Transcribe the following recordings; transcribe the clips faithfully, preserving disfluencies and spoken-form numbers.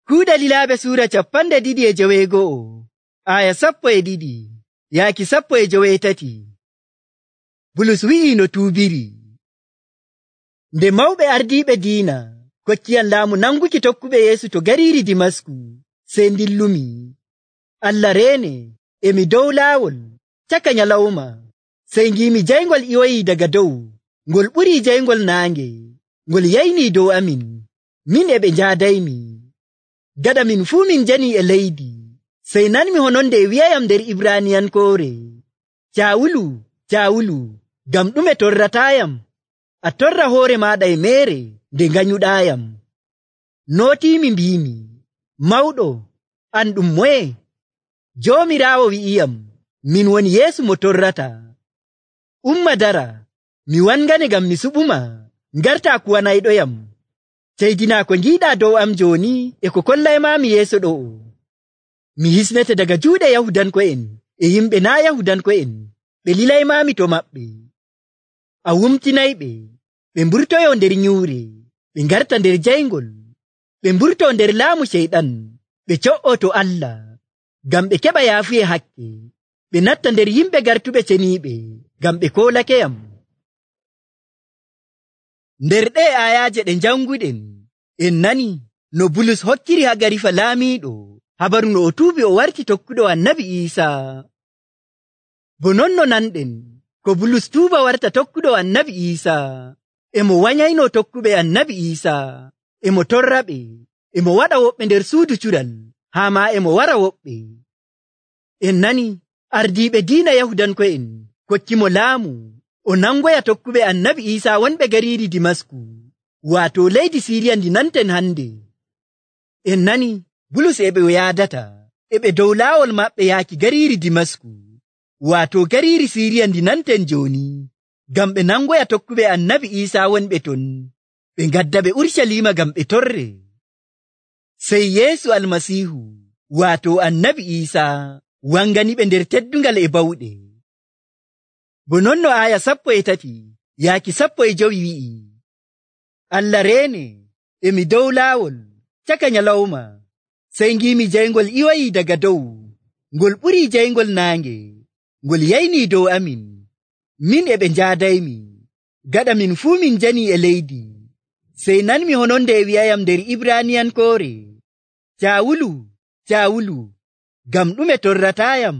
Kuuɗe Lilaaɓe suura capanɗe ɗiɗi e joweego'o, aya sappo e ɗiɗi yaaki sappo e joweetati. Bulus wi'ii no tuubiri. Nde mawɓe ardiiɓe diina kokkiyam laamu nanguki tokkuɓe Yeesu to gariiri Dimasku, sey ndillumi. Allah reene, emi dow laawol caka nyalawma, sey ngiimi jayngol iwoyii daga dow, ngol ɓurii jayngol naange, ngol yaynii dow amin, min e ɓe njaadaymi. Gaɗa min fuu min janii e leydi, sey nanmi hononde e wi'ayam nder Ibraaniyankoore, Caawulu, Caawulu, ngam ɗume torrataayam? A torra hoore maaɗa e meere nde nganyuɗaayam. Nootiimi mbiimi, Mawɗo, an ɗum moye? Joomiraawo wi'iyam, min woni Yeesu mo torrata. Umma dara, mi wangane ngam mi suɓuma, ngartaa kuwanayɗoyam. Ceydinaa ko ngiiɗaa dow am jooni e ko kollaymaami yeeso ɗo'o. Mi hisnete daga juuɗe Yahudanko'en e yimɓe naa' Yahudanko'en, ɓe lilaymaami to maɓɓe. A wumtinayɓe, ɓe mburtoyoo nder nyuure, ɓe ngarta nder jayngol, ɓe mburtoo nder laamu Ceyɗan, ɓe co''oo to Allah, ngam ɓe keɓa yaafuye hakke, ɓe natta nder yimɓe gartuɓe ceniiɓe, ngam ɓe koolakeyam. Nder ɗee aayaaje ɗe njanguɗen, en nani no Bulus hokkiri Hagarifa laamiiɗo habaru no o tuubi o warti tokkuɗo Annabi Iisaa. Bo non no nanɗen, ko Bulus tuuba warta tokkuɗo Annabi Iisaa, emo wanyaynoo tokkuɓe Annabi Iisaa, emo torraɓe, emo waɗa woɓɓe nder suudu cuɗal, haa maa emo wara woɓɓe. En nani ardiiɓe diina Yahudanko'en kokkimo laamu o nangoya tokkuɓe Annabi Iisaa wonɓe gariiri Dimasku, waato leydi Siiriya ndi nanten hande. En nani Bulus e ɓe yaadata, e ɓe dow laawol maɓɓe yaaki gariiri Dimasku, waato gariiri Siiriya ndi nanten jooni, ngam ɓe nangoya tokkuɓe Annabi Iisaa wonɓe ton, ɓe ngadda ɓe Urshalima ngam ɓe torre. Sey Yeesu Almasiihu, waato Annabi Iisaa, wanganiɓe nder teddungal e bawɗe. Bo non no aya sappo e tati yaaki sappo e jowi wi'i, Allah reene, emi dow laawol caka nyalawma, sey ngiimi jayngol iwoyii daga dow, ngol ɓurii jayngol naange, ngol yaynii dow amin, min e ɓe njaadaymi. Gaɗa min fuu min janii e leydi, sey nanmi hononde e wi'ayam nder Ibraaniyankoore, Caawulu, Caawulu, ngam ɗume torrataayam?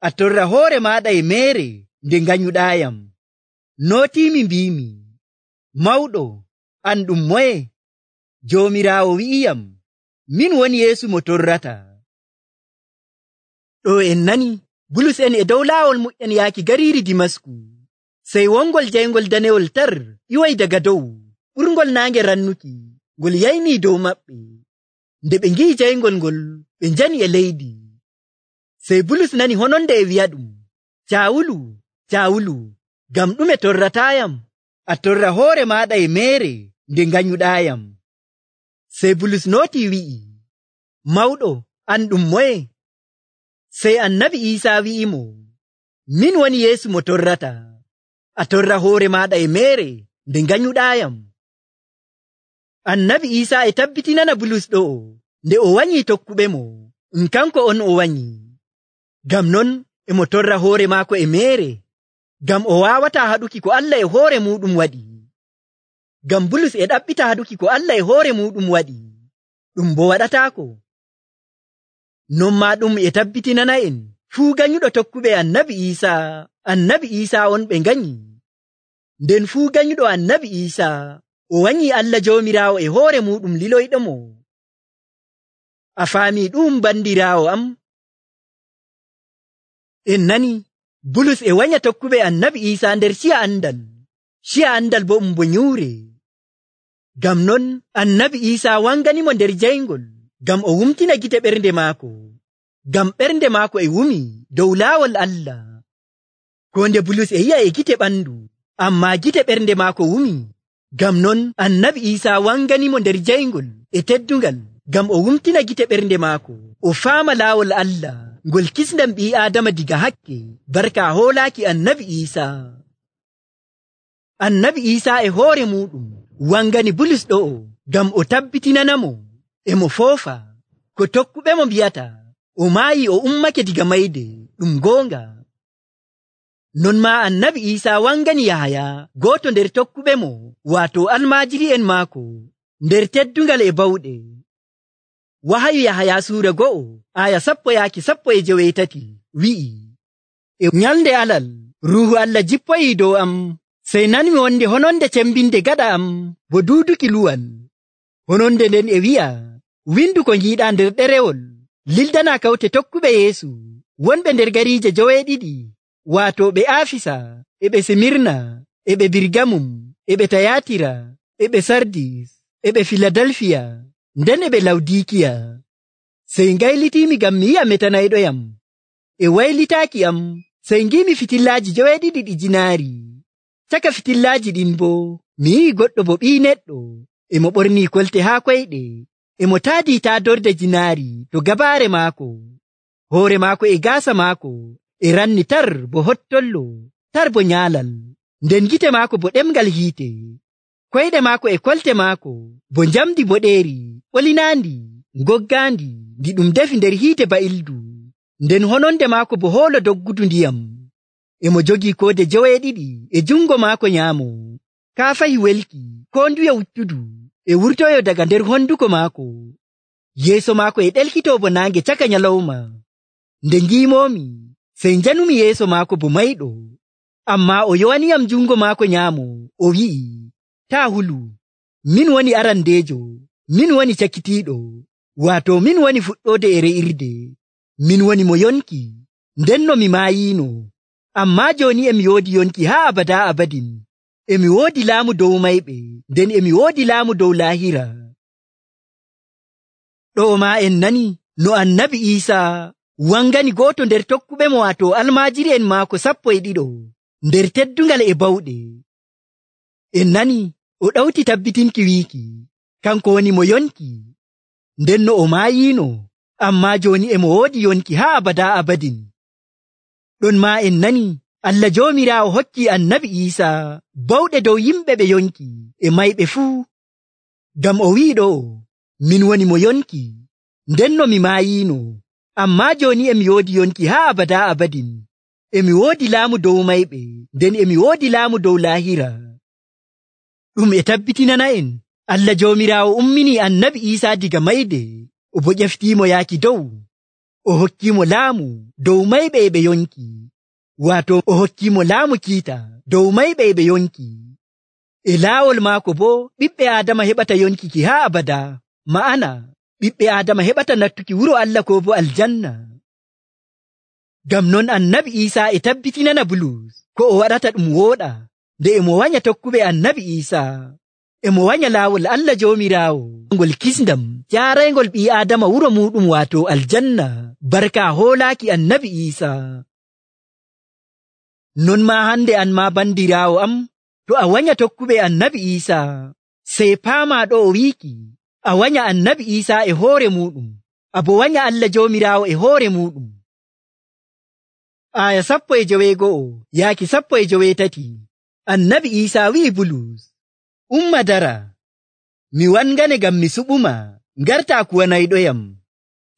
A torra hoore maaɗa e meere nde nganyuɗaayam. Nootiimi mbiimi, Mawɗo, an ɗum moye? Joomiraawo wi'iyam, min woni Yeesu mo torrata. Ɗo en nani Bulus en e dow laawol muƴƴen yaaki gariiri Dimasku, sey wongol jayngol danewol tar iwoyi daga dow, ɓurngol naange rannuki, ngol yaynii dow maɓɓe. Nde ɓe ngi'i jayngol ngol, ɓe njani e leydi. Sey Bulus nani hononde e wi'aɗum, Caawulu, Caawulu, ngam ɗume torrataayam? A torra hoore maaɗa e meere nde nganyuɗaayam. Sey Bulus nootii wi'i, Mawɗo, an ɗum moye? Sey Annabi Iisaa wi'imo, min woni Yeesu mo torrata. A torra hoore maaɗa e meere nde nganyuɗaayam. Annabi Iisaa e tabbitinana Bulus ɗo'o nde o wanyii tokkuɓe mo, um kanko on o wanyii. Ngam non emo torra hoore maako e meere, ngam o waawataa haɗuki ko Allah e hoore muuɗum waɗi. Ngam Bulus e ɗaɓɓita haɗuki ko Allah e hoore muuɗum waɗi, ɗum bo waɗataako. Non maa ɗum e tabbitinana en fuu ganyuɗo tokkuɓe Annabi Iisaa, Annabi Iisaa on ɓe nganyi. Nden fuu ganyuɗo Annabi Iisaa o wanyii Allah Joomiraawo e hoore muuɗum liloyɗomo. A faamii ɗum bandiraawo am? En nani Bulus e wanya tokkuɓe Annabi Iisaa nder ciya andal, ciya andal bo um bo nyuure. Ngam non Annabi Iisaa wanganimo nder jayngol, ngam o wumtina gite ɓernde maako, ngam ɓernde maako e wumi dow laawol Allah. Ko nde Bulus e yi'a e gite ɓandu, ammaa gite ɓernde maako wumi. Ngam non Annabi Iisaa wanganimo nder jayngol e teddungal, ngam o wumtina gite ɓernde maako, o faama laawol Allah, ngol kisndan ɓii Aadama diga hakke, barka hoolaaki Annabi Iisaa. Annabi Iisaa e hoore muuɗum wangani Bulus ɗo'o, ngam o tabbitinanamo emo foofa ko tokkuɓe mo mbiyata o maayi o ummake diga mayde ɗum goonga. Non maa annabi Iisaa wangani Yahaya gooto nder tokkuɓe mo waato almaajiri'en maako nder teddungal e bawɗe. Wahayu Yahaya suura go'o aya sappo yaaki sappo e joweetati wi'i, e nyalnde alal Ruuhu Allah jippoyi dow am, sey nanmi wonde hononde cembinde gaɗa am bo duuduki luwal. Hononde nden e wi'a, windu ko ngiiɗaa nder ɗerewol, lildana kawte tokkuɓe Yeesu wonɓe nder gariije joweeɗiɗi, waato ɓe Aafisa, e ɓe Simirna, e ɓe Birgamum, e ɓe Tayatira, e ɓe Sardis, e ɓe Filadelfiya, nden e ɓe Lawdikiya. Sey ngaylitiimi ngam mi yi'a metanayɗoyam. E waylitaaki am, sey ngimi fitillaaji joweeɗiɗi ɗi jinaari. Caka fitillaaji ɗin boo, mi yi'i goɗɗo bo ɓii neɗɗo, e mo ɓornii kolte haa koyɗe, e mo taadii taadorde jinaari to gabaare maako. Hoore maako e gaasa maako e ranni tar bo hottollo, tar bo nyaalal, nden gite maako bo ɗemngal hiite. Koyɗe maako e kolte maako bo njamdi boɗeeri, ɓolinaandi, ngoggaandi, ndi ɗum defi nder hiite ba'ildu, nden hononde maako bo hoolo doggudu ndiyam. E mo jogii koode joweeɗiɗi e jungo maako nyaamo. Kaafahi welki, koo nduye wuttudu, e wurtoyo daga nder honduko maako. Yeeso maako e ɗelkitoo bo naange caka nyalawma. Nde ngiimoomi, sey njanumi yeeso maako bo mayɗo. Ammaa o yowaniyam jungo maako nyaamo, o wi'i, taa hulu, min woni arandeejo, min woni cakitiiɗo, waato min woni fuɗɗoode e re'irde. Min woni mo yonki, ndenno mi maayiino, ammaa jooni emi woodi yonki haa abadaa abadin. Emi woodi laamu dow mayɓe, nden emi woodi laamu dow laahira. Ɗo maa en nani no annabi Iisaa wangani gooto nder tokkuɓe mo waato almaajiri'en maako sappo e ɗiɗo nder teddungal e bawɗe. En nani o ɗawti tabbitinki wiiki kanko woni mo yonki, ndenno o maayiino, ammaa jooni emo woodi yonki haa abadaa abadin. Ɗon maa en nani Allah Joomiraawo hokki annabi Iisaa bawɗe dow yimɓe ɓe yonki e mayɓe fuu. Ngam o wi'i ɗo, min woni mo yonki, ndenno mi maayiino, ammaa jooni emi woodi yonki haa abadaa abadin. Emi woodi laamu dow mayɓe, nden emi woodi laamu dow laahira. Ɗum e tabbitinana en Allah Joomiraawo umminii annabi Iisaa diga mayde, o bo ƴeftiimo yaaki dow. O hokkiimo laamu dow mayɓe e ɓe yonki, waato o hokkiimo laamu kiita dow mayɓe e ɓe yonki. E laawol maako boo ɓiɓɓe Aadama heɓata yonkiki haa abadaa, ma'ana ɓiɓɓe Aadama heɓata nattuki wuro Allah koo bo aljanna. Ngam non annabi Iisaa e tabbitinana Bulus ko o waɗata ɗum wooɗa nde emo wanya tokkuɓe annabi Iisaa. Emo wanya laawol Allah Joomiraawo ngol kisndam jaaraygol ɓii Aadama wuro muɗum waato aljanna, barka hoolaaki annabi Iisaa. Non maa hande an maa bandiraawo am, to a wanya tokkuɓe annabi Iisaa, sey paamaa ɗo o wiiki a wanya annabi Iisaa e hoore muɗum, abo wanya Allah Joomiraawo e hoore muɗum. Aya sappo e joweego'o yaaki sappo e joweetati. Annabi Iisaa wi'i Bulus, umma dara, mi wangane ngam mi suɓuma, ngartaa kuwanayɗoyam.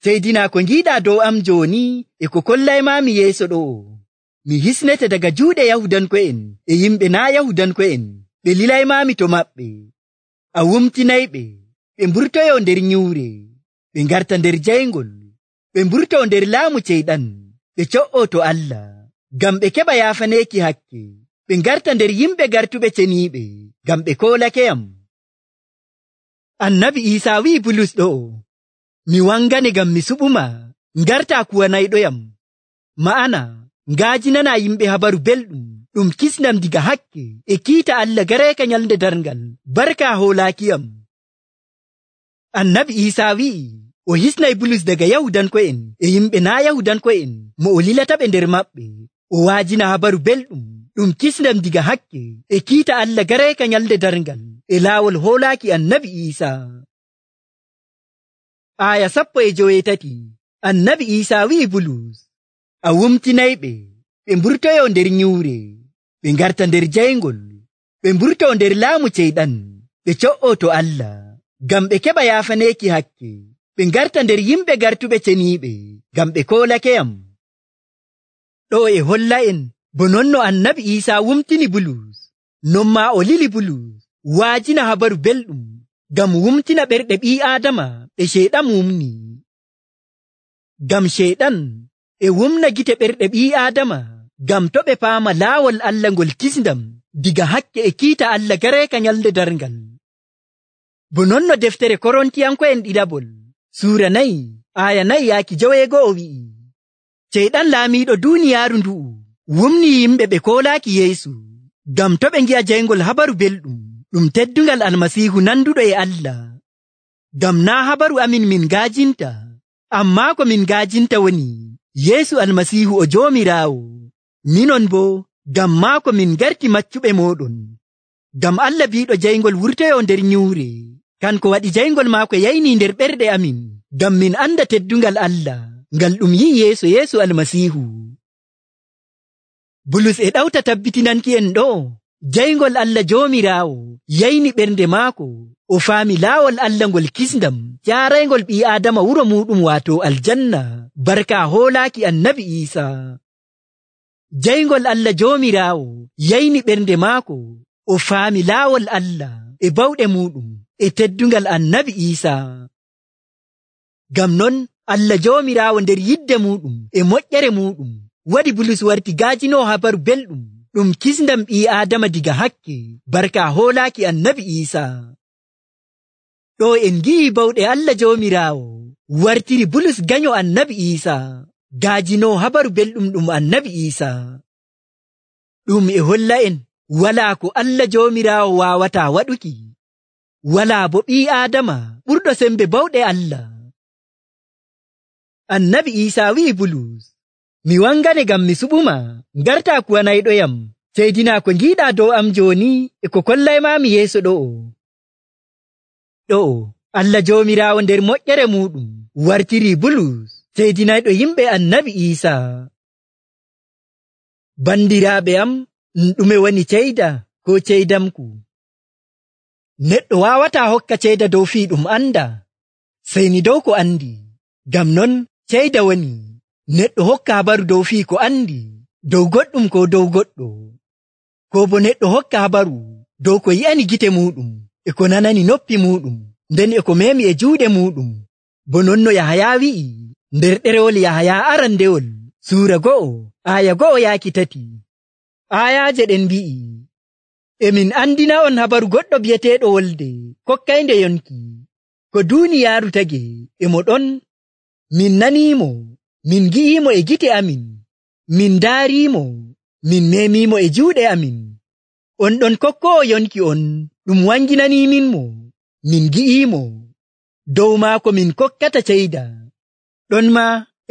Seydinaa ko ngiiɗaa dow am jooni e ko kollaymaami yeeso ɗo'o. Mi hisnete daga juuɗe Yahudanko'en e yimɓe naa Yahudanko'en, ɓe lilaymaami to maɓɓe. A wumtinayɓe, ɓe mburtoyo nder nyuure, ɓe ngarta nder jayngol, ɓe mburto nder laamu ceyɗan, ɓe co'oo to Allah, ngam ɓe keɓa yaafaneeki hakke, ɓe ngarta nder yimɓe gartuɓe ceniiɓe, ngam ɓe koolakeyam. Annabi Iisaa wi'i Bulus ɗo'o, mi wangane ngam mi suɓuma, ngartaa kuwanayɗoyam, ma'ana ngaajinana yimɓe habaru belɗum ɗum kisnam diga hakke e kiita Allah gareeka nyalnde darngal, barka hoolaakiyam. Annabi Iisaa wi'i o hisnay Bulus daga Yahudanko'en e yimɓe naa Yahudanko'en mo o lilataɓe nder maɓɓe, o waajina habaru belɗum ɗum kisnam diga hakke e kiita Allah gareeka nyalnde darngal e laawol hoolaaki annabi Iisaa. Aya sappo e joweetati. Annabi Iisaa wi'i Bulus, a wumtinayɓe, ɓe mburtoyo nder nyuure, ɓe ngarta nder jayngol, ɓe mburto nder laamu ceyɗan, ɓe co'oo to Allah, ngam ɓe keɓa yaafaneeki hakke, ɓe ngarta nder yimɓe gartuɓe ceniiɓe, ngam ɓe koolakeyam. Ɗo e holla en bo non no Annabi Iisaa wumtini Bulus, non maa o lili Bulus waajina habaru belɗum ngam wumtina ɓerɗe ɓii Aadama ɗe Ceyɗan wumni. Ngam Ceyɗan e wumna gite ɓerɗe ɓii Aadama ngam to ɓe paama laawol Allah ngol kisndam diga hakke e kiita Allah gareeka nyalnde darngal. Bo non no deftere Korontiyanko'en ɗiɗaɓol suura nayi aaya nayi yaaki joweego'o wi'i, Ceyɗan laamiiɗo duuniyaaru ndu'u wumni yimɓe ɓe koolaaki Yeesu ngam to ɓe ngi'a jayngol habaru belɗum ɗum teddungal Almasiihu nanduɗo e Allah. Ngam naa habaru amin min ngaajinta, ammaa ko min ngaajinta woni Yeesu Almasiihu o Joomiraawo. Minon boo ngam maako min garti maccuɓe mooɗon. Ngam Allah biiɗo jayngol wurtoyoo nder nyuure, kanko waɗi jayngol maako yaynii nder ɓerɗe amin, ngam min anda teddungal Allah ngal ɗum yi'i yeeso Yeesu Almasiihu. Bulus e ɗawta tabbitinanki en ɗo jayngol Allah Joomiraawo yayni ɓernde maako, o faami laawol Allah ngol kisndam jaaraygol ɓii Aadama wuro muɗum waato aljanna barka hoolaaki Annabi Iisaa. Jayngol Allah Joomiraawo yayni ɓernde maako, o faami laawol Allah e bawɗe muɗum e teddungal Annabi Iisaa. Ngam non Allah Joomiraawo nder yidde muɗum e moƴƴere muɗum waɗi Bulus warti gaajinoo habaru belɗum ɗum kisndam ɓii Aadama diga hakke barka hoolaaki Annabi Iisaa. Ɗo en ngi'i bawɗe Allah Joomiraawo wartiri Bulus ganyo Annabi Iisaa, gaajinoo habaru belɗum ɗum Annabi Iisaa. Ɗum e holla en walaa ko Allah Joomiraawo waawataa waɗuki, walaa bo ɓii Aadama ɓurɗo sembe bawɗe Allah. Annabi Iisaa wi'i Bulus, mi wangane ngam mi suɓuma, ngartaa kuwanayɗoyam, seydinaa ko ngiiɗaa dow am jooni e ko kollaymaami yeeso ɗo'o. Ɗo'o Allah Joomiraawo nder moƴƴere muɗum wartirii Bulus seydinayɗo yimɓe Annabi Iisaa. Bandiraaɓe am, ɗume woni ceyda ko ceydamku? Neɗɗo waawataa hokka ceyda dow fii ɗum anda, sey ni dow ko andi. Ngam non ceyda woni neɗɗo hokka habaru dow fii ko andi, dow goɗɗum ko dow goɗɗo, ko bo neɗɗo hokka habaru dow ko yi'ani gite muɗum e ko nanani noppi muɗum, nden e ko meemi e juuɗe muɗum. Bo non no Yahaya wi'i nder ɗerewol Yahaya arandewol suura go'o aaya go'o yaaki tati. Aayaaje ɗen mbi'i, emin andina on habaru goɗɗo bi'eteeɗo Wolde kokkaynde yonki, ko duuniyaaru tagi e mo ɗon. Min naniimo, min gi'iimo e gite amin, min ndaariimo, min meemiimo e juuɗe amin. On ɗon kokkoowo yonki on ɗum wanginanimin mo, min gi'iimo, dow maako min kokkata ceyda. Ɗon ma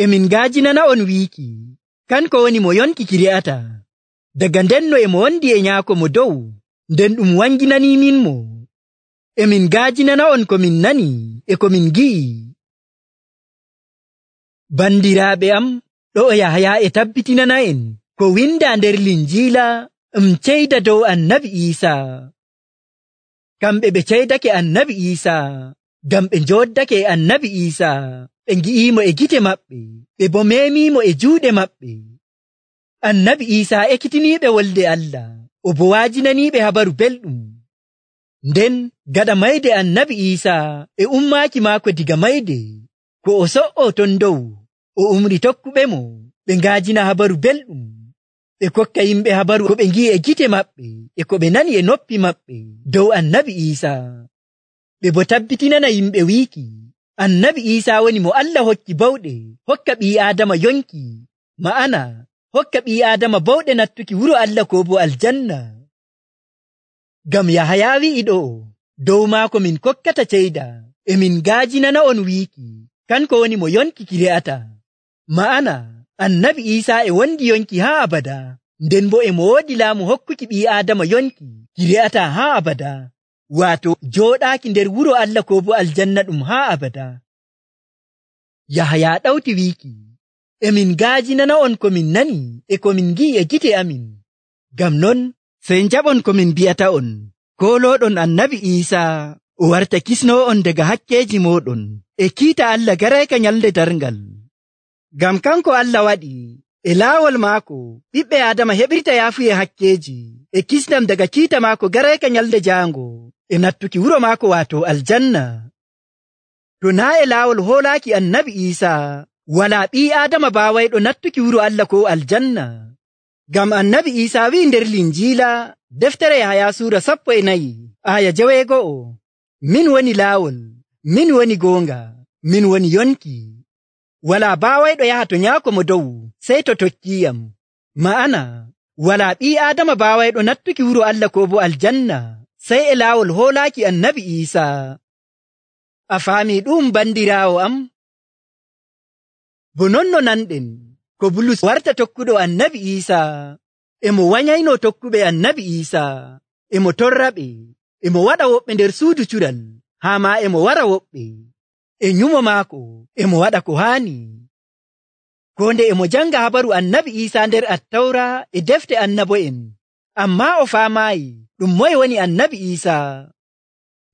emin ngaajinana on wiiki, kanko woni mo yonki ki re'ata. Daga ndenno e mo wondi e nyaako mo dow, nden ɗum wanginanimin mo. Emin ngaajinana on ko min nani e ko min gi'i. Bandiraaɓe am, ɗo Yahaya e tabbitinana en ko windaa nder Linjiila um ceyda dow Annabi Iisaa. Kamɓe ɓe ceydake Annabi Iisaa ngam ɓe njooddake e Annabi Iisaa, ɓe ngi'iimo e gite maɓɓe, ɓe bo meemiimo e juuɗe maɓɓe. Annabi Iisaa ekkitiniiɓe wolde Allah, o bo waajinaniiɓe habaru belɗum. Nden gaɗa mayde Annabi Iisaa e ummaaki maako diga mayde, ko o so'o ton dow, o umri tokkuɓe mo ɓe ngaajina habaru belɗum, ɓe kokka yimɓe habaru ko ɓe ngi'i e gite maɓɓe e ko ɓe nani e noppi maɓɓe dow Annabi Iisaa. Ɓe bo tabbitinana yimɓe wiiki Annabi Iisaa woni mo Allah hokki bawɗe hokka ɓii Aadama yonki, ma'ana hokka ɓii Aadama bawɗe nattuki wuro Allah ko bo aljanna. Ngam Yahaya wi'i ɗo dow maako min kokkata ceyda, e min ngaajinana on wiiki kanko woni mo yonki ki re'ata, ma'ana Annabi Iisaa e wondi yonki haa abada, nden bo e mo woodi laamu hokkuki ɓii Aadama yonki ki re'ata haa abada, waato jooɗaaki nder wuro Allah ko bo aljanna ɗum haa abada. Yahaya ɗawti wiiki, emin ngaajinana on ko min nani e ko min ngi'i e gite amin. Ngam non sey njaɓon ko min bi'ata on, koolooɗon Annabi Iisaa o warta kisnoo on daga hakkeeji mooɗon e kiita Allah garayka nyalde darngal. Ngam kanko Allah waɗi e laawol maako ɓiɓɓe Aadama heɓirta yaafuye hakkeeji e kisnam daga kiita maako garayka nyalde jaango e nattuki wuro maako waato aljanna. To naa e laawol hoolaaki annabi Iisaa walaa ɓii Aadama baawayɗo nattuki wuro Allah ko aljanna. Ngam annabi Iisaa wi'i nder Linjiila deftere Yahaya suura sappo e nayi aya joweego'o, min woni laawol, min woni goonga, min woni yonki. Walaa baawayɗo yaha to Nyaako mo dow sey to tokkiiyam. Ma'ana walaa ɓii Aadama baawayɗo nattuki wuro Allah ko bo aljanna sey e laawol hoolaaki annabi Iisaa. A faamii ɗum bandiraawo am? Bo non no nanɗen ko Bulus warta tokkuɗo annabi Iisaa, e mo wanyayno tokkuɓe annabi Iisaa, e mo torraɓe, e mo waɗa woɓɓe nder suudu cuɗal, haa maa e mo wara woɓɓe. E nyumo maako e mo waɗa ko haani. Ko nde e mo janga habaru annabi Iisaa nder Attawra e defte annabo'en, ammaa o faamaayi ɗum moye woni annabi Iisaa.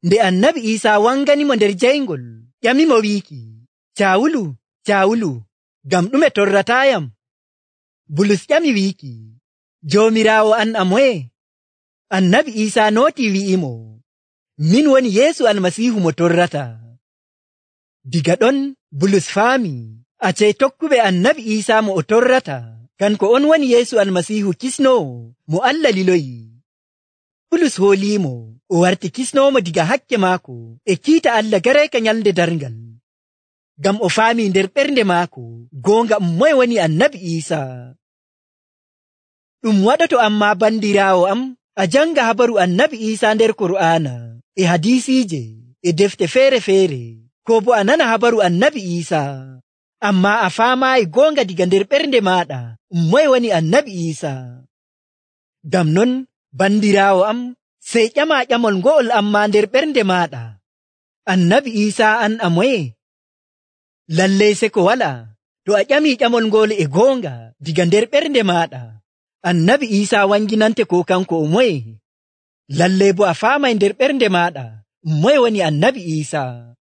Nde annabi Iisaa wanganimo nder jayngol, ƴamimo wiiki, Caawulu, Caawulu, ngam ɗume torrataayam? Bulus ƴami wiiki, Joomiraawo an a moye? Annabi Iisaa nootii wi'imo, min woni Yeesu Almasiihu mo torrata. Diga ɗon Bulus faami acee tokkuɓe annabi Iisaa mo o torrata kanko on woni Yeesu Almasiihu kisnoowo mo Allah liloyi. Bulus hooliimo o warti kisnoomo diga hakke maako e kiita Allah garayka nyalde darngal. Ngam o faami nder ɓernde maako goonga um moye woni annabi Iisaa. Ɗum waɗoto ammaa bandiraawo am a janga habaru annabi Iisaa nder Kur'aana e hadisiije e defte feere-feere, ko bo a nana habaru annabi Iisaa, ammaa a faamaayi goonga diga nder ɓernde maaɗa um moye woni annabi Iisaa. Ngam non bandiraawo am, sey ƴama ƴamol ngo'ol ammaa nder ɓernde maaɗa, annabi Iisaa an a moye? Lallay se ko walaa, to a ƴamii ƴamol ngol e goonga diga nder ɓernde maaɗa, annabi Iisaa wanginante ko kanko o moye? Lallay bo a faamay nder ɓernde maaɗa um moye woni annabi Iisaa.